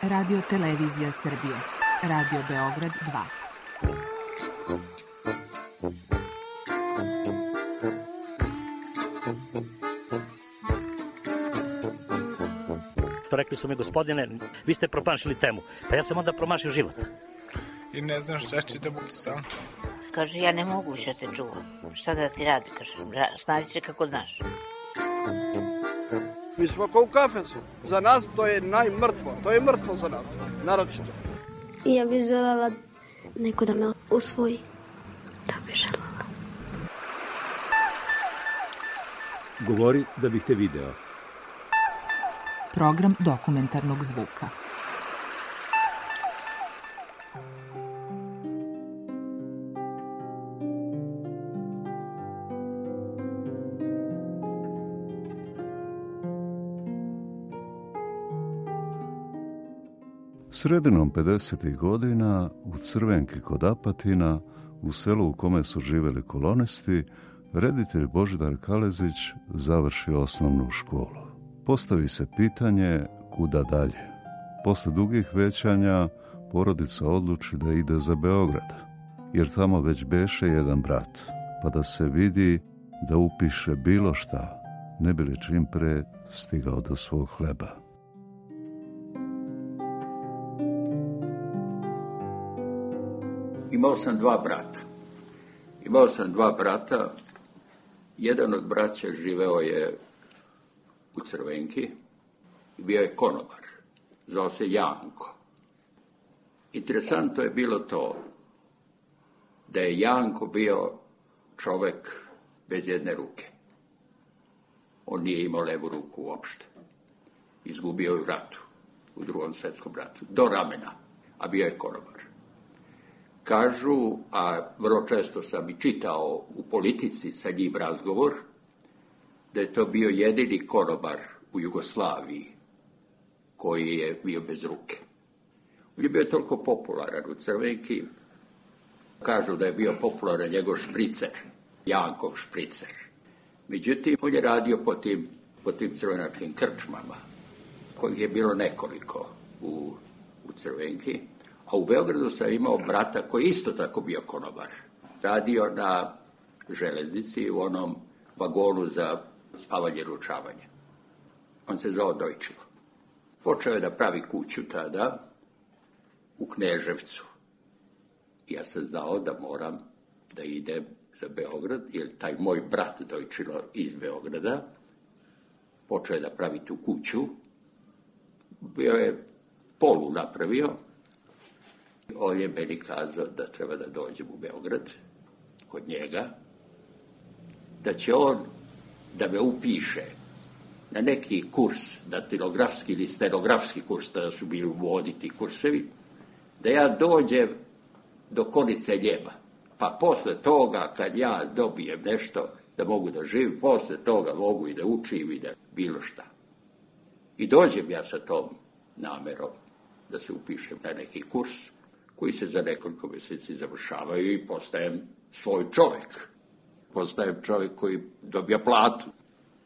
Radio Televizija Srbije. Radio Beograd 2. Rekli su mi, gospodine, vi ste promašili temu. Pa ja sam onda promašio život. I ne znam šta će da bude sam. Kaže, ja ne mogu više te čuvam. Šta da ti radi, kaže, snađi se kako znaš. Mi smo kao u kafesu. Za nas to je najmrtvo. To je mrtvo za nas, naročito. Ja bih želela neko da me usvoji. To bih želela. Govori da bih te video. Program dokumentarnog zvuka. Sredinom 50. godina u Crvenki kod Apatina, u selu u kome su živjeli kolonisti, reditelj Božidar Kalezić završi osnovnu školu. Postavi se pitanje kuda dalje. Posle dugih većanja porodica odluči da ide za Beograd, jer tamo već beše jedan brat, pa da se vidi da upiše bilo šta, ne bi li čim pre stigao do svog hleba. Imao sam dva brata. Jedan od braća živeo je u Crvenki i bio je konobar. Zvao se Janko. Interesantno je bilo to da je Janko bio čovek bez jedne ruke. On nije imao levu ruku uopšte. Izgubio je u ratu, u Drugom svjetskom ratu, do ramena, a bio je konobar. Kažu, a vrlo često sam i čitao u Politici sa njim razgovor, da je to bio jedini konobar u Jugoslaviji koji je bio bez ruke. On je bio toliko popularan u Crvenki, kažu da je bio popularan njegov špricer, Jankov špricer. Međutim, on je radio po tim crvenačkim krčmama, kojih je bilo nekoliko u Crvenki. A u Beogradu sam imao brata koji isto tako bio konobar. Radio na železnici u onom vagonu za spavanje i ručavanje. On se zvao Dojčilo. Počeo je da pravi kuću tada u Kneževcu. Ja sam znao da moram da idem za Beograd, jer taj moj brat Dojčilo iz Beograda počeo je da pravi tu kuću. Bio je polu napravio. On je meni kazao da treba da dođem u Beograd kod njega, da će on da me upiše na neki kurs, datilografski ili stenografski kurs, tada su bili u modi ti kursevi, da ja dođem do konice njema. Pa posle toga, kad ja dobijem nešto da mogu da živim, posle toga mogu i da učim i da bilo šta. I dođem ja sa tom namerom da se upišem na neki kurs, koji se za nekoliko mjeseci završavaju i postajem svoj čovjek. Postajem čovjek koji dobija platu.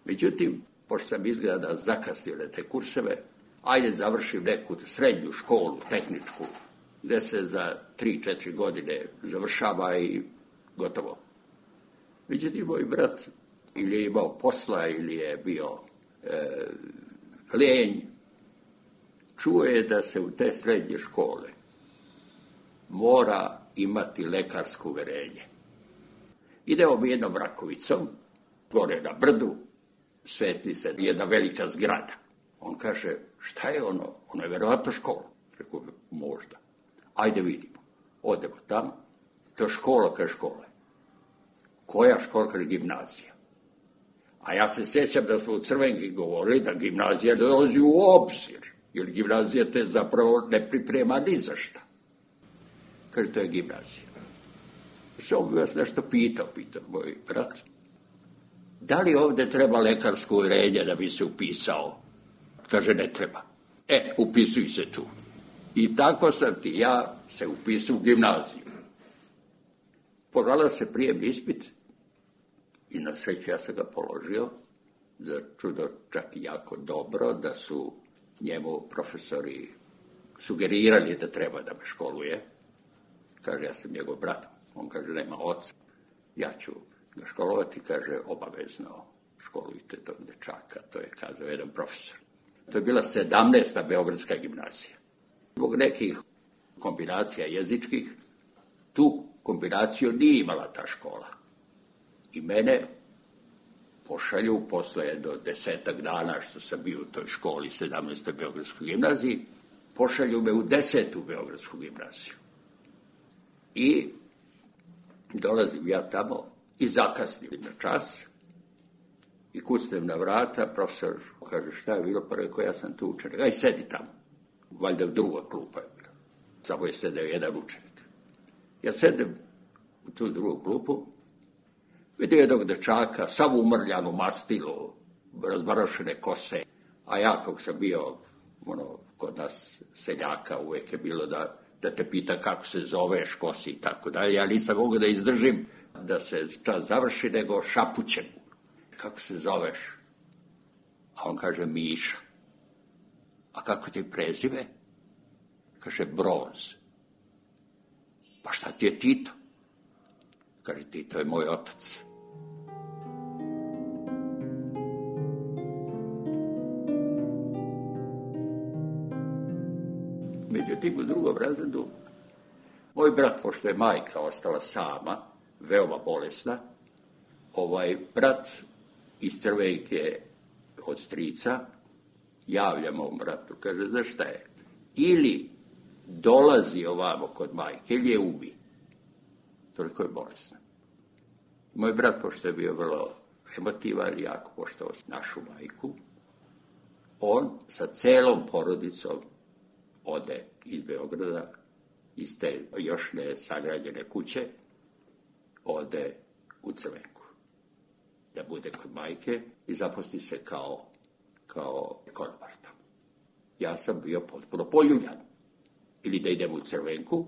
Međutim, pošto sam izgleda zakasnio na te kurseve, ajde završim neku srednju školu, tehničku, gdje se za 3-4 godine završava i gotovo. Međutim, moj brat ili je imao posla ili je bio lijenj, čuo je da se u te srednje škole mora imati lekarsko uverenje. Idemo mi jednom Rakovicom, gore na brdu, svetli se jedna velika zgrada. On kaže, šta je ono? Ono je verovatno škola. Rekao, možda. Ajde vidimo. Odemo tam. To je škola, kaže škola. Koja škola, kaže gimnazija. A ja se sjećam da smo u Crvenki govorili da gimnazija ne dolazi u obzir. Jer gimnazija te zapravo ne priprema ni za šta. Kaže, to je gimnazija. Samo bi vas nešto pitao moj brat. Da li ovdje treba lekarsko uverenje da bi se upisao? Kaže, ne treba. Upisuj se tu. I tako sam ja se upisao u gimnaziju. Pogledao se prijem ispit i na sreću ja sam ga položio. Za čudo čak i jako dobro, da su njemu profesori sugerirali da treba da me školuje. Kaže, ja sam njegov brat. On kaže, nema oca. Ja ću ga školovati, kaže, obavezno školujte tog dečaka. To je kazao jedan profesor. To je bila 17. Beogradska gimnazija. Zbog nekih kombinacija jezičkih, tu kombinaciju nije imala ta škola. I mene pošalju posle jedno 10 dana što sam bio u toj školi 17. Beogradskoj gimnaziji, pošalju me u 10. Beogradsku gimnaziju. I dolazim ja tamo i zakasnim na čas i kucnem na vrata, profesor kaže šta je bilo, pa rekao ja sam tu učenik, aj sedi tamo, valjda druga klupa je bila, samo je sedeo jedan učenik. Ja sedem u tu drugu klupu, vidim jednog dečaka, sav umrljan u mastilu, razbarošene kose, a ja kako sam bio, kod nas seljaka uvijek je bilo da te pita kako se zoveš, ko si i tako dalje. Ja nisam mogao da izdržim da se čas završi, nego šapućem. Kako se zoveš? A on kaže Miša. A kako ti prezime? Kaže Broz. Pa šta ti je Tito? Kaže Tito je moj otac. Međutim, u drugom razredu, moj brat, pošto je majka ostala sama, veoma bolesna, brat iz Crvenke od strica javlja mom bratu, kaže, znaš šta je? Ili dolazi ovamo kod majke, ili je ubi. Toliko je bolesna. Moj brat, pošto je bio vrlo emotivan i jako poštovao našu majku, on sa celom porodicom ode iz Beograda, iz te još ne sagrađene kuće, ode u Crvenku. Da bude kod majke i zaposli se kao konobar tamo. Ja sam bio potpuno poljuljan. Ili da idem u Crvenku,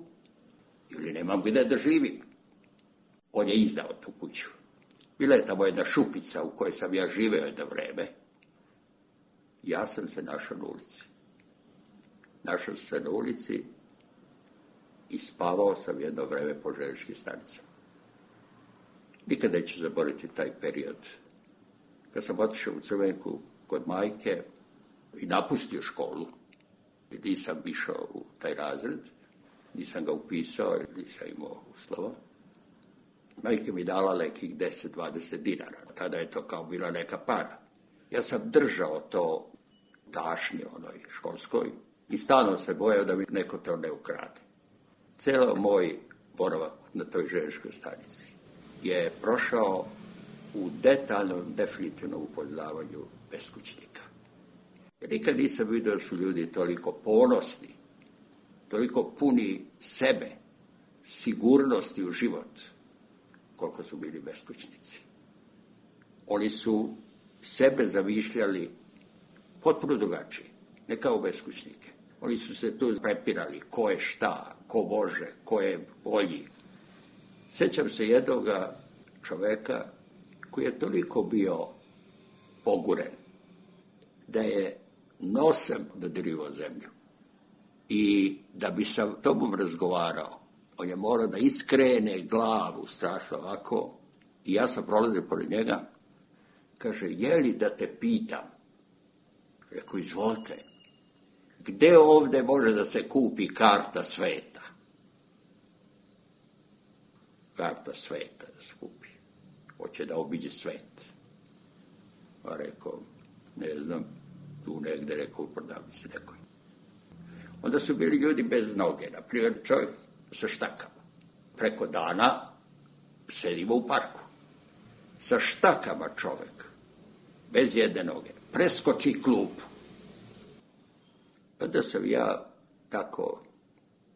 ili nemam gde da živim. On je izdao tu kuću. Bila je tamo jedna šupica u kojoj sam ja živeo jedno vreme. Ja sam se našao na ulici. Našao sam se na ulici i spavao sam jedno vreme po željezničkim stanicama. Nikada neću zaboraviti taj period. Kad sam otišao u Crvenku kod majke i napustio školu, i nisam išao u taj razred, nisam ga upisao, nisam imao uslova, majke mi dala nekih 10-20 dinara. Tada je to kao bila neka para. Ja sam držao to tašnje onoj školskoj i stalno se bojao da mi neko to ne ukrade. Cijelo moj boravak na toj željezničkoj stanici je prošao u detaljnom, definitivnom upoznavanju beskućnika. Jer nikad nisam vidio da su ljudi toliko ponosni, toliko puni sebe, sigurnosti u život, koliko su bili beskućnici. Oni su sebe zamišljali potpuno drugačije, ne kao beskućnike. Oni su se tu prepirali ko je šta, ko može, ko je bolji. Sjećam se jednoga čoveka koji je toliko bio poguren da je nosem dodirivao zemlju. I da bi sa tobom razgovarao, on je morao da iskrene glavu strašno ovako. I ja sam prolazio pored njega. Kaže, je li da te pitam? Rekao, izvolite. Gde ovde može da se kupi karta sveta? Karta sveta da se kupi. Hoće da obiđe svet. Pa rekao, ne znam, tu negde, rekao, u prodavnici nekoj. Onda su bili ljudi bez noge, na primjer čovjek sa štakama. Preko dana sedimo u parku. Sa štakama čovjek, bez jedne noge, preskoči klupu. Onda sam ja tako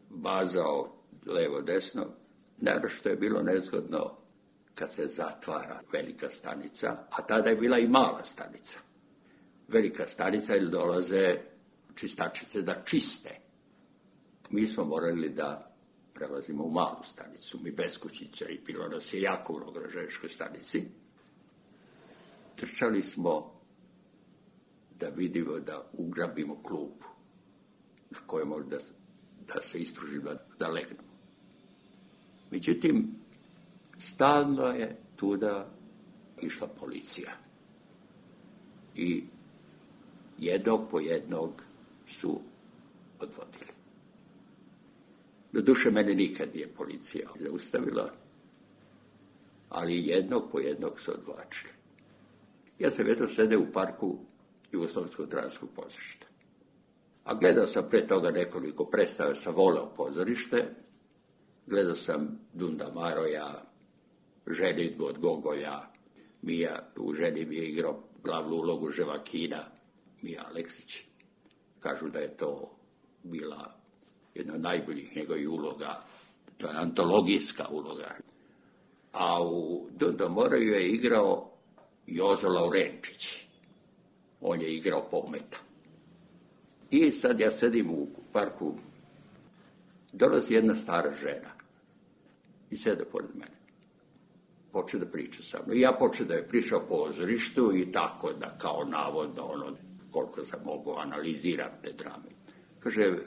bazao levo-desno, naravno što je bilo nezgodno kad se zatvara velika stanica, a tada je bila i mala stanica. Velika stanica ili dolaze čistačice da čiste. Mi smo morali da prelazimo u malu stanicu, mi beskućnice, i bilo nas je jako mnogo na željezničkoj stanici. Trčali smo da vidimo da ugrabimo klupu. na koje može da se ispruži, da legnu. Međutim, stalno je tuda išla policija. I jednog po jednog su odvodili. Doduše, mene nikad nije policija zaustavila, ali jednog po jednog su odvlačili. Ja sam jedno sede u parku Jugoslovenskog dramskog pozorišta. A gledao sam pre toga nekoliko predstava, sam voleo pozorište, gledao sam Dunda Maroja, Ženidbu od Gogolja, u Ženidbi je igrao glavnu ulogu Ževakina, Mija Aleksić. Kažu da je to bila jedna od najboljih njegovih uloga, to je antologijska uloga. A u Dunda Maroju je igrao Jozo Laurenčić. On je igrao Pometa. I sad ja sedim u parku, dolazi jedna stara žena i sede pored mene. Poče da priča sa mnom. I ja poče da je pričao o pozorištu i tako da kao navodno koliko sam mogu analiziram te drame. Kaže,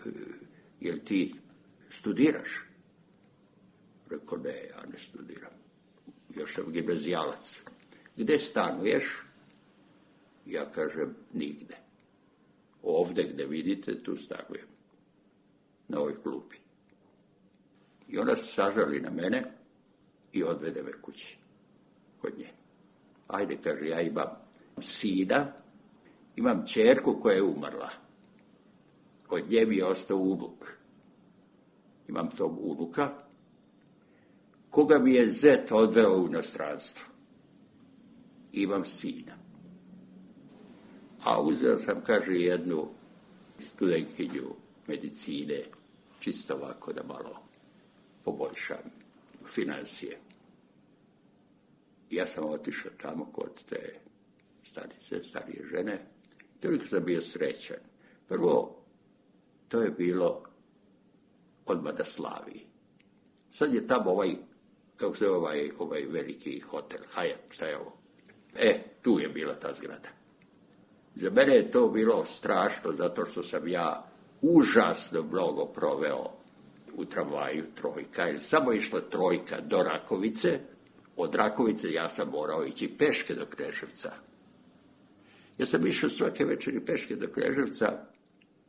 jel ti studiraš? Rekao, ne, ja ne studiram. Još sam gimnazijalac. Gde stanuješ? Ja kažem, nigde. Ovde gde vidite, tu stanujem. Na ovoj klupi. I ona se sažali na mene i odvede me kući. Kod nje. Ajde, kaže, ja imam sina, imam ćerku koja je umrla. Od nje mi je ostao unuk. Imam tog unuka, koga mi je zet odveo u inostranstvo. Imam sina. A uzeo sam, kaže, jednu studentkinju medicine, čisto ovako da malo poboljšam financije. Ja sam otišao tamo kod te starije žene, toliko sam bio srećan. Prvo, to je bilo odmah na Slaviji. Sad je tamo kako se ovaj veliki hotel, Hyatt, šta je ovo? Tu je bila ta zgrada. Za mene je to bilo strašno, zato što sam ja užasno mnogo proveo u tramvaju trojka, jer samo išla trojka do Rakovice, od Rakovice ja sam morao ići peške do Kneževca. Ja sam išao svake večeri peške do Kneževca,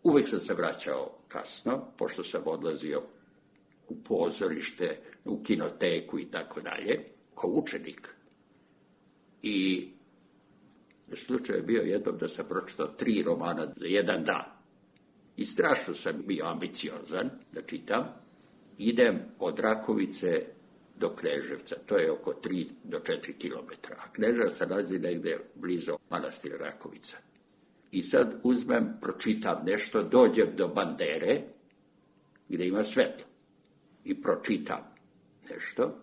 uvek sam se vraćao kasno, pošto sam odlazio u pozorište, u kinoteku i tako dalje, kao učenik. I slučaj je bio jednom da sam pročitao 3 romana za jedan dan. I strašno sam bio ambiciozan da čitam. Idem od Rakovice do Kneževca, to je oko 3 do 4 kilometra. A Kneževac se nalazi negde blizu manastira Rakovica. I sad uzmem, pročitam nešto, dođem do bandere, gde ima svetlo. I pročitam nešto.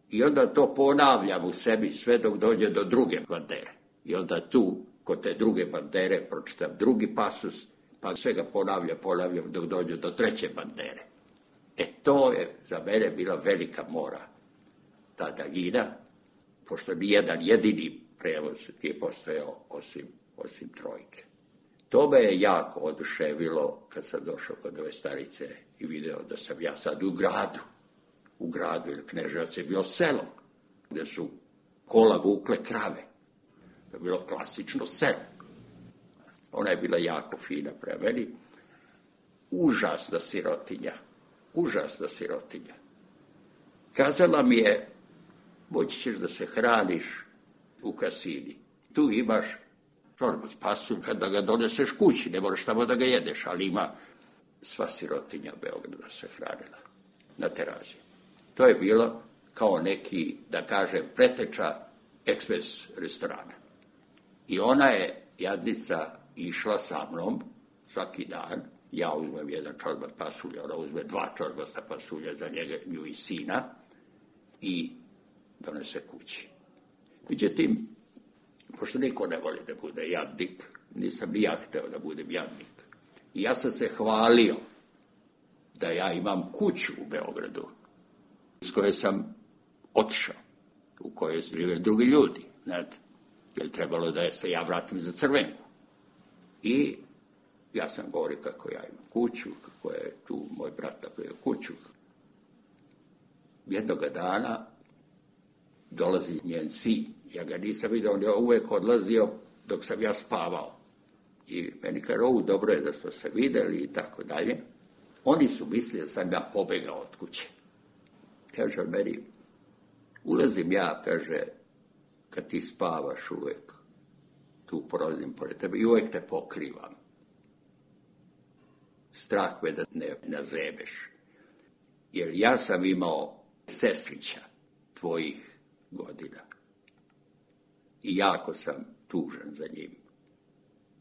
I onda to ponavljam u sebi sve dok dođe do druge bandere. I onda tu, kod te druge bandere, pročitam drugi pasus, pa sve ga ponavljam dok dođe do treće bandere. To je za mene bila velika mora. Ta daljina, pošto nijedan jedini prevoz nije postojao osim trojke. To me je jako oduševilo kad sam došao kod ove starice i video da sam ja sad u gradu, jer Kneževac je bilo selo, gde su kola vukle krave. To je bilo klasično selo. Ona je bila jako fina pre meni. Užasna sirotinja. Kazala mi je, moći ćeš da se hraniš u kasini. Tu imaš čorbu s pasulj, kada ga doneseš kući, ne moraš tamo da ga jedeš, ali ima sva sirotinja Beograda se hranila na terazi. To je bilo kao neki, da kažem, preteča ekspres restorana. I ona je, jadnica, išla sa mnom svaki dan. Ja uzmem jedan čorbat pasulja, ona uzme 2 čorbasta pasulja za nju i sina i donese kući. Međutim, pošto niko ne voli da bude jadnik, nisam ni ja hteo da budem jadnik. I ja sam se hvalio da ja imam kuću u Beogradu, s koje sam otišao, u kojoj žive drugi ljudi, znate, jer trebalo da se ja vratim za Crvenku. I Ja sam govorio kako ja imam kuću, kako je tu moj brat napravio kuću. Jednoga dana dolazi njen sin. Ja ga nisam vidio, on je uvijek odlazio dok sam ja spavao. I meni kaže, dobro je da smo se vidjeli i tako dalje. Oni su mislili da sam ja pobegao od kuće. Kaže meni, ulazim ja, kaže, kad ti spavaš uvijek, tu prolazim pored tebe i uvijek te pokrivam. Strah me da ne nazebeš. Jer ja sam imao sestrića tvojih godina. I jako sam tužan za njim.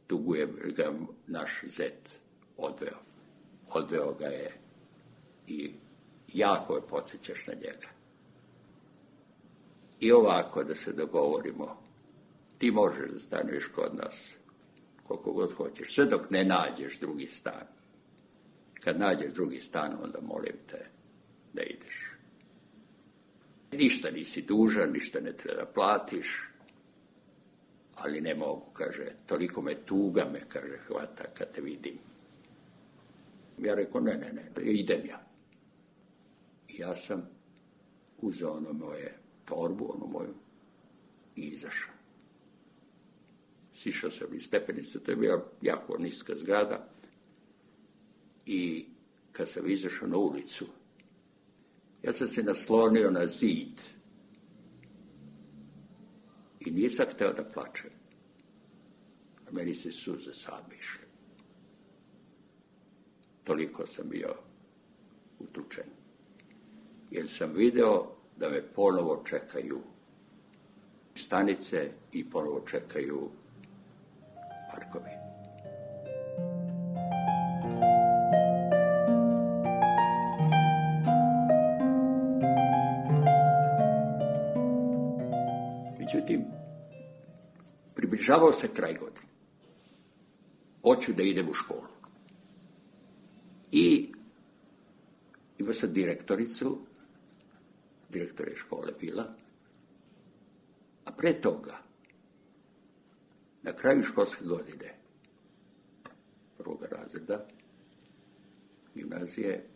Tugujem ga naš zet odveo. Odveo ga je i jako je podsjećaš na njega. I ovako da se dogovorimo, ti možeš da stanuješ kod nas koliko god hoćeš, sve dok ne nađeš drugi stan. Kad nađeš drugi stan, onda molim te da ideš. Ništa nisi dužan, ništa ne treba da platiš, ali ne mogu, kaže, toliko me tuga me, kaže, hvata kad te vidim. Ja rekao, ne, idem ja. I ja sam uzeo ono moje torbu, ono moju, i izašao. Sišao sam iz stepenice, to je bila jako niska zgrada. I kad sam izašao na ulicu, ja sam se naslonio na zid i nisam hteo da plačem. A meni se suze same išle. Toliko sam bio utučen. Jer sam video da me ponovo čekaju stanice i ponovo čekaju parkovi. Međutim, približavao se kraj godine. Hoću da idem u školu. I imao sam direktoricu, direktor je škole bila, a pre toga, na kraju školske godine, prvog razreda, gimnazije,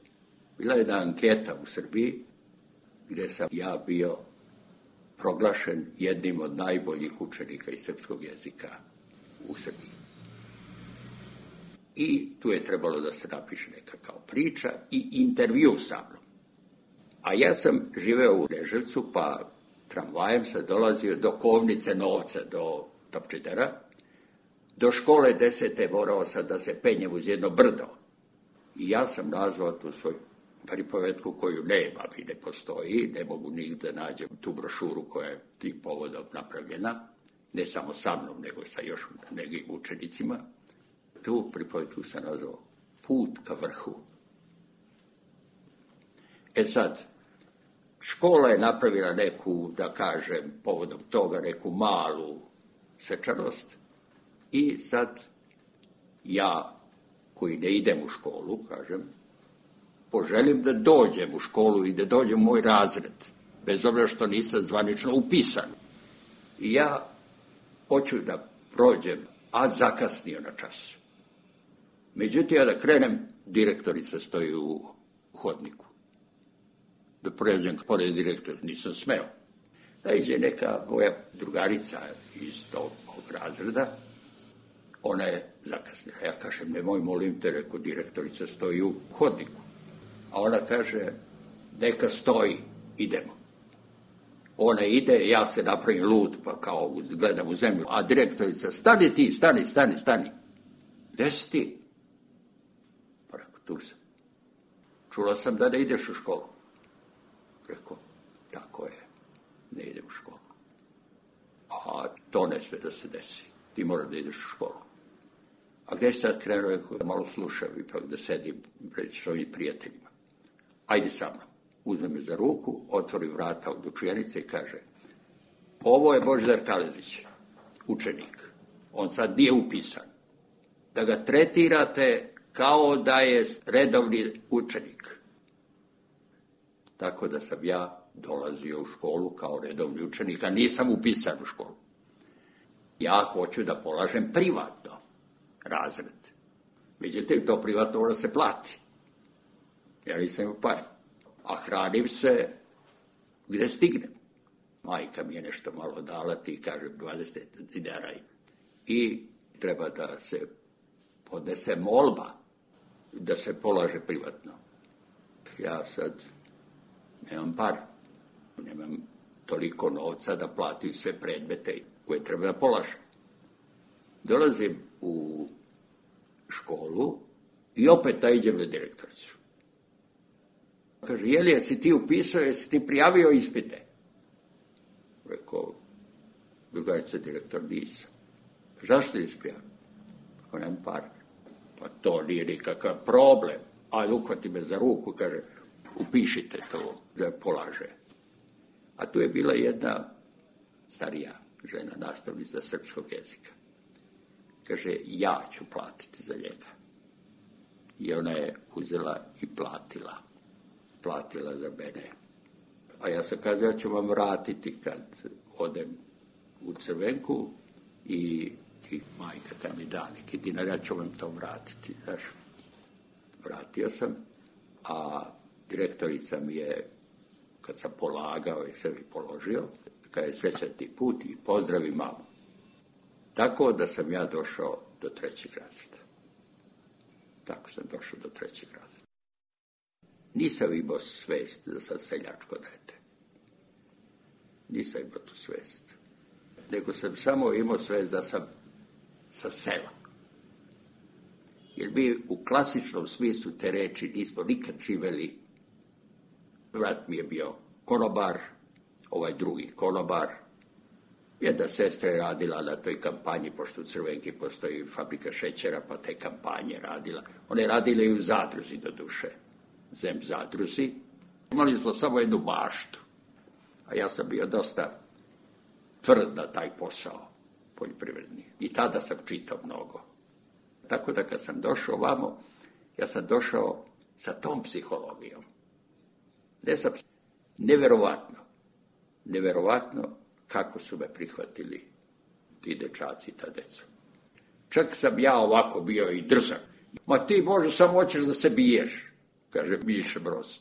bila je jedna anketa u Srbiji, gdje sam ja bio proglašen jednim od najboljih učenika iz srpskog jezika u Srbiji. I tu je trebalo da se napiše neka kao priča i intervju sa mnom. A ja sam živeo u Neževcu, pa tramvajem sam dolazio do Kovnice Novca, do Topčidera. Do škole 10. morao sam da se penjem uz jedno brdo. I ja sam nazvao tu svoju pripovetku koju nema i ne postoji, ne mogu nigde nađem tu brošuru koja je tih povodom napravljena, ne samo sa mnom, nego sa još nekim učenicima. Tu pripovetku sam nazvao Put ka vrhu. E sad, škola je napravila neku, da kažem, povodom toga neku malu svečanost i sad ja, koji ne idem u školu, kažem, poželim da dođem u školu i da dođem u moj razred, bez obzira što nisam zvanično upisan. I ja hoću da prođem, a zakasnio na čas. Međutim, ja da krenem, direktorica stoji u hodniku. Da pređem pored direktora, nisam smeo. Da iđe neka moja drugarica iz tog razreda, ona je zakasnila. Ja kažem, nemoj, molim te, rekao, direktorica stoji u hodniku. A ona kaže, neka stoji, idemo. Ona ide, ja se napravim lud, pa kao gledam u zemlju. A direktorica, stani ti, stani. Gde si ti? Pa rekao, tu sam. Čula sam da ne ideš u školu. Rekao, tako je, ne idem u školu. A to ne sve da se desi. Ti moraš da ideš u školu. A gdje si sad krenuo, rekao, da malo slušam, ipak da sedim pred svojim prijateljima. Ajde sa mnom. Uzme me za ruku, otvori vrata od učijenice i kaže, ovo je Božidar Kalezić, učenik. On sad nije upisan. Da ga tretirate kao da je redovni učenik. Tako da sam ja dolazio u školu kao redovni učenik, a nisam upisan u školu. Ja hoću da polažem privatno razred. Međutim, to privatno mora se plati. Ja nisam imao par. A hranim se gde stignem. Majka mi je nešto malo dala, ti kažem 20 dinara. I treba da se podnese molba, da se polaže privatno. Ja sad nemam par, nemam toliko novca da platim sve predmete koje treba da polažem. Dolazim u školu i opet da idem na direktoricu. Kaže, jeli, jesi ti upisao, jesi ti prijavio ispite? Rekao, drugarica direktor, nisam. Zašto nisi prijavio? Rekao, nemam par. Pa to nije nikakav problem. Ajde, uhvati me za ruku, kaže, upišite to, da polaže. A tu je bila jedna starija žena, nastavnica srpskog jezika. Kaže, ja ću platiti za njega. I ona je uzela i platila. Platila za mene. A ja sam kazao, ja ću vam vratiti kad odem u Crvenku i majka kad mi da neki dinar, ja ću vam to vratiti. Znaš, vratio sam, a direktorica mi je, kad sam polagao i sebi položio, kad je srećan ti put i pozdravi mamu. Tako da sam ja došao do 3. razreda. Tako sam došao do 3. razreda. Nisam imao svest da sam seljačko dete. Nisam imao tu svest. Nego sam samo imao svest da sam sa sela. Jer mi u klasičnom smislu te reči nismo nikad živeli. Brat mi je bio konobar, ovaj drugi konobar. Jedna sestra je radila na toj kampanji, pošto u Crvenki postoji fabrika šećera, pa te kampanje radila. One je radile i u zadruzi do duše. Zem zadruzi. Imali smo samo jednu baštu. A ja sam bio dosta tvrd na taj posao poljoprivredni. I tada sam čitao mnogo. Tako da kad sam došao ovamo, ja sam došao sa tom psihologijom. Ne sam, neverovatno kako su me prihvatili ti dečaci i ta deca. Čak sam ja ovako bio i drzak. Ma ti, Bože, samo hoćeš da se biješ, kaže Miša Broz.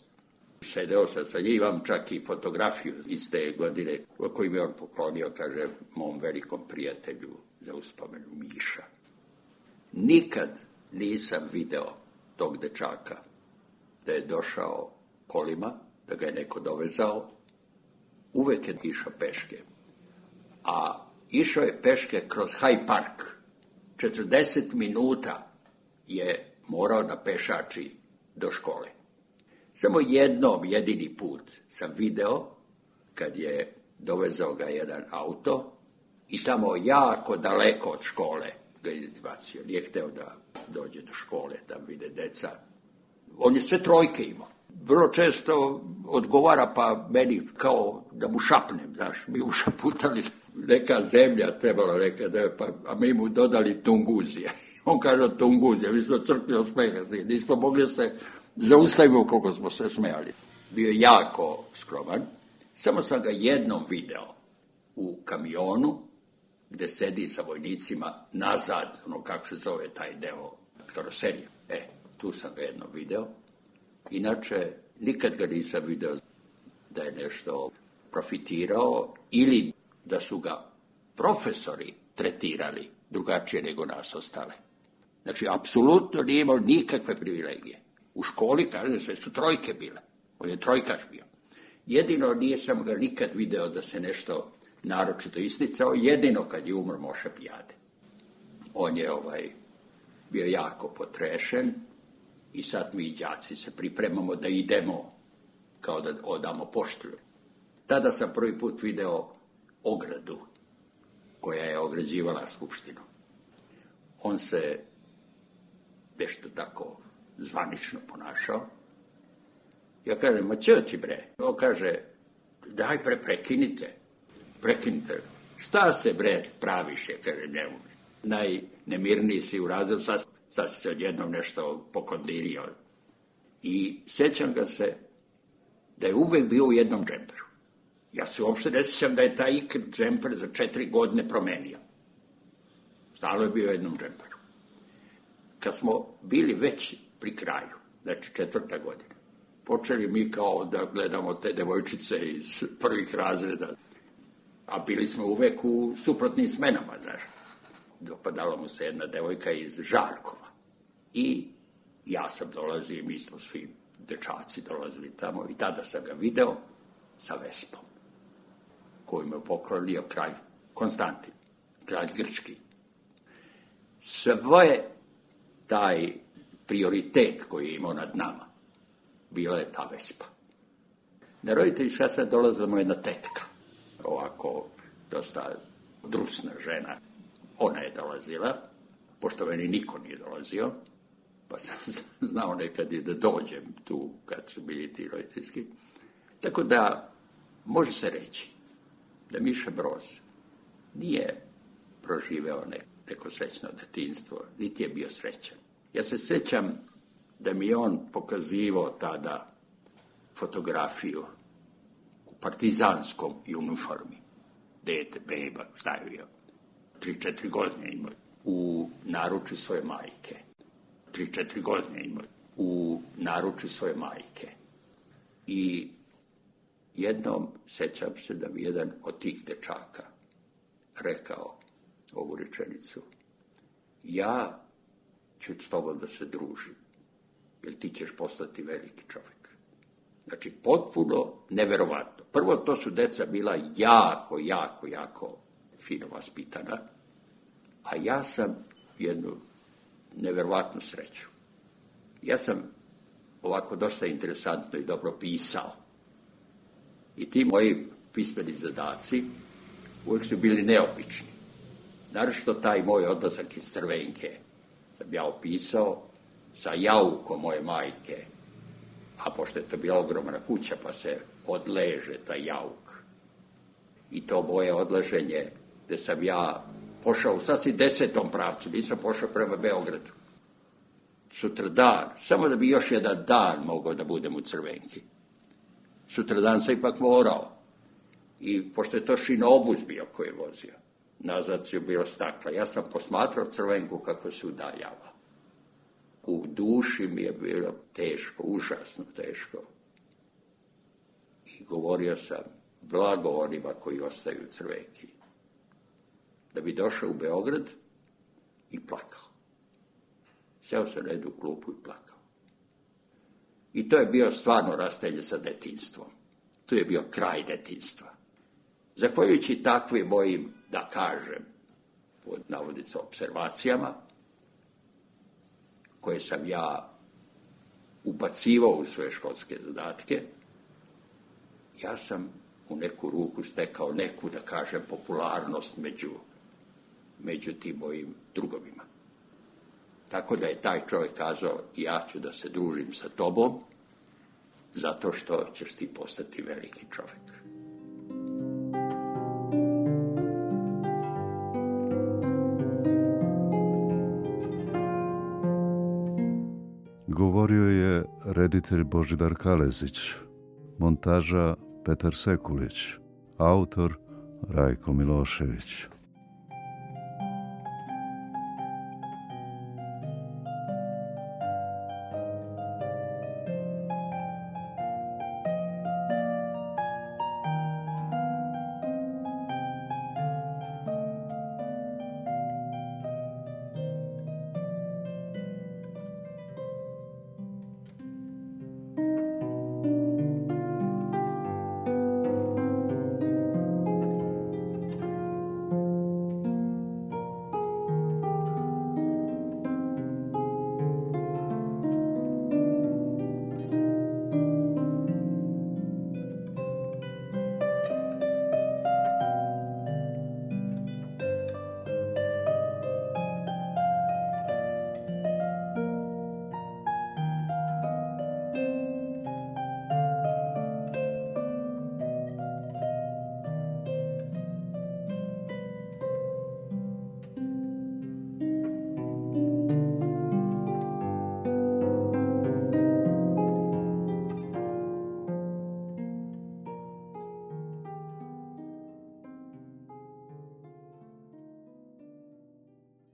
Sedeo sam sa njim, imam čak i fotografiju iz te godine koju mi on poklonio, kaže, mom velikom prijatelju za uspomenu Miša. Nikad nisam video tog dečaka da je došao kolima, da ga je neko dovezao. Uvek je išao peške. A išao je peške kroz Hyde Park. 40 minuta je morao da pešači do škole. Samo jedini put sam video kad je dovezao ga jedan auto i tamo jako daleko od škole ga je izbacio. Nije hteo da dođe do škole, da vide deca. On je sve 3 imao. Vrlo često odgovara pa meni kao da mu šapnem, znaš, mi ušaputali neka zemlja, trebalo neka da je, a mi mu dodali Tunguzija. On kaže Tunguzija, mi smo crkli od smeha, nismo mogli se zaustaviti koliko smo se smejali. Bio je jako skroman, samo sam ga jednom video u kamionu gde sedi sa vojnicima nazad, ono kako se zove taj deo karoserije. Tu sam ga jednom video. Inače, nikad ga nisam video da je nešto profitirao ili da su ga profesori tretirali drugačije nego nas ostale. Znači, apsolutno nije imao nikakve privilegije. U školi, kažem, sve su 3 bile. On je 3-kaš bio. Jedino nisam ga nikad video da se nešto naročito isticao, jedino kad je umro Moša Pijade. On je bio jako potrešen. I sad mi đaci se pripremamo da idemo, kao da odamo poštu. Tada sam prvi put video ogradu koja je ograđivala Skupštinu. On se nešto tako zvanično ponašao. Ja kažem, ma čo ti bre? On kaže, daj prekinite. Šta se bre praviš? Ja kažem, ne. Najnemirniji si u razredu, sad se odjednom nešto pokondirio. I sjećam ga se da je uvek bio u jednom džemperu. Ja se uopšte ne sjećam da je taj džemper za 4 godine promenio. Stalo je bio u jednom džemperu. Kad smo bili već pri kraju, znači 4. godina, počeli mi kao da gledamo te devojčice iz prvih razreda, a bili smo uvek u suprotnim smenama, znaš. Dopadala mu se jedna devojka iz Žarkova. I ja sam dolazio, mi smo svi dečaci dolazili tamo i tada sam ga video sa Vespom, koju me poklonio kralj Konstantin, kralj Grčki. Sve taj prioritet koji je imao nad nama, bila je ta Vespa. Na roditeljska sad dolazila mu jedna tetka, ovako dosta drusna žena. Ona je dolazila, pošto meni niko nije dolazio, pa sam znao nekad i da dođem tu kad su bili ti roditeljski. Tako da može se reći da Miša Broz nije proživeo neko srećno detinjstvo, niti je bio srećan. Ja se sjećam da mi je on pokazivao tada fotografiju u partizanskom uniformi. Dete, beba, šta je bio? 3-4 godine imao u naručju svoje majke. 3-4 godine imao u naručju svoje majke. I jednom sjećam se da mi jedan od tih dečaka rekao ovu rečenicu: ja ću s tobom da se družim, jer ti ćeš postati veliki čovjek. Znači, potpuno neverovatno. Prvo, to su deca bila jako fino vaspitana, a ja sam jednu neverovatnu sreću. Ja sam ovako dosta interesantno i dobro pisao. I ti moji pismeni zadaci uvijek su bili neobični. Naročito taj moj odlazak iz Crvenke sam ja opisao sa jaukom moje majke, a pošto je to bila ogromna kuća, pa se odleže taj jauk. I to moje odleženje, gde sam ja pošao u sasvim 10. pravcu, nisam pošao prema Beogradu. Sutra dan, samo da bi još jedan dan mogao da budem u Crvenki. Sutra dan sam ipak morao. I pošto je to šinobus bio koji je vozio, nazad su bilo stakla. Ja sam posmatrao Crvenku kako se udaljava. U duši mi je bilo teško, užasno teško. I govorio sam blago onima koji ostaju u Crvenki. Da bi došao u Beograd i plakao. Sjeo sam na jednu klupu i plakao. I to je bio stvarno rastelje sa detinjstvom. Tu je bio kraj detinjstva. Zahvaljujući takvim mojim, da kažem, pod navodnicom observacijama, koje sam ja ubacivao u svoje školske zadatke, ja sam u neku ruku stekao neku, da kažem, popularnost među tim mojim drugovima. Tako da je taj čovjek kazao: ja ću da se družim sa tobom, zato što ćeš ti postati veliki čovjek. Govorio je reditelj Božidar Kalezić, montaža Petar Sekulić, autor Rajko Milošević.